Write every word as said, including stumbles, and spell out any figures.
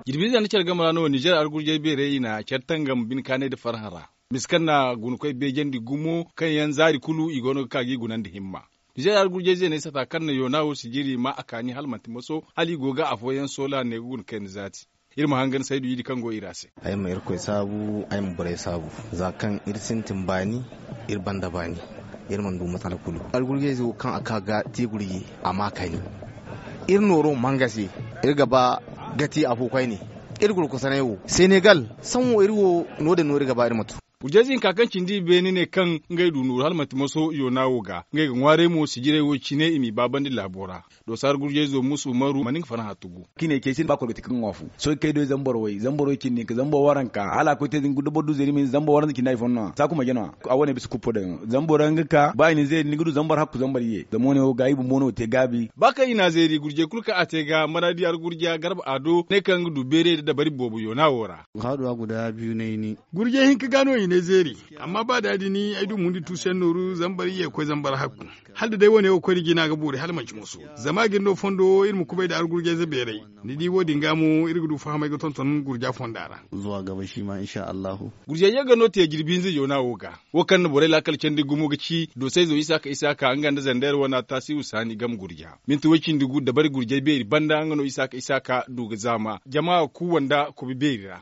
Jirbiize nda care game ra no ninzeer argurjey beerey i na care tangam bine kaanay nda farhã ra. Misa kaŋ na gunakoy beejandi gumo kaŋ yaŋ zaari kulu i go no ga ka ga i gunandi himma. Ninzeer argurjey zeeney sata kaŋ na yoona wo sijiri ma a kaani hala manti moso hala i go ga afooyaŋ soola ne ga guna kayna zaati. Iri ma hangan saydu idi kaŋ go iri a se. Ay ma irkoy saabu, ay ma borey saabu. Za kaŋ iri sintin baani, iri banda baani, iri mana du matsala kulu. Algurjey zo kaŋ a ka ga te gurji, a ma kayni. Iri nooro mangase, iri ga ba ga te afo koyne. Iri gurkusanay wo senegal, saŋ wo iri wo, no- din no iri ga ba iri ma tu. Gurjey zinka kaŋ cindi i beene ne kaŋ ngey du nooru hala manti moso yoona wo ga ngey ga ŋwaaray mo sijirey wo cine i m'i baabandi laabo ra. Doosa argurjey zo musu umaru mana nga farhã tugu. Kiine cey sinda ba koro ga ti kaŋ ŋwa fu. Sohõ kay do zama boro way zama boro way cindi hinka zama boro waranka hala a koy te da boro du zeeri ma hin zama boro waranza cindi hari fonda no a saaku marje no a a wane bisa kuppo daŋ zama boro yaŋ ga ka ba i na zeeri ni ga du zama boro hakku zama boro ye zama wane wo ga i bumbo no ga te gaabi. Ba kaŋ i na a zeeri gurjey kulu kaŋ a te ga maraadi argurja garba a do ne kaŋ ga du beeray nda dabari boobo yoona wo ra. Haaduwa guda biyu no ay ni. Gurjey hinka ga no i ne zeeri. Amma ba da- din ay du mundi tuusu yaŋ nooru zama boro ye ga koy zama boro hakku. Hala da day wane wo koy nda jina ga boori hala manti moso. Zama a ga iri no fondo wo iri ma kubay nda argurjayze beeray. Ni di wo- din ga mo iri ga du fahamay ga tonton gurja fonda ra. Zuwa gaba shi ma insha allahu. Gurjayye ga no te jirbi hinza yoona wo ga. Wo kaŋ na borey laakal candi gumo ga ci doosayzo isaaka isaaka nga nda zandeer wana taasihu saani game gurja. Minti way cindi gu dabari gurjay beeri banda nga no isaaka isaaka du ga zaama jama kuuwa nda kobi beeri ra.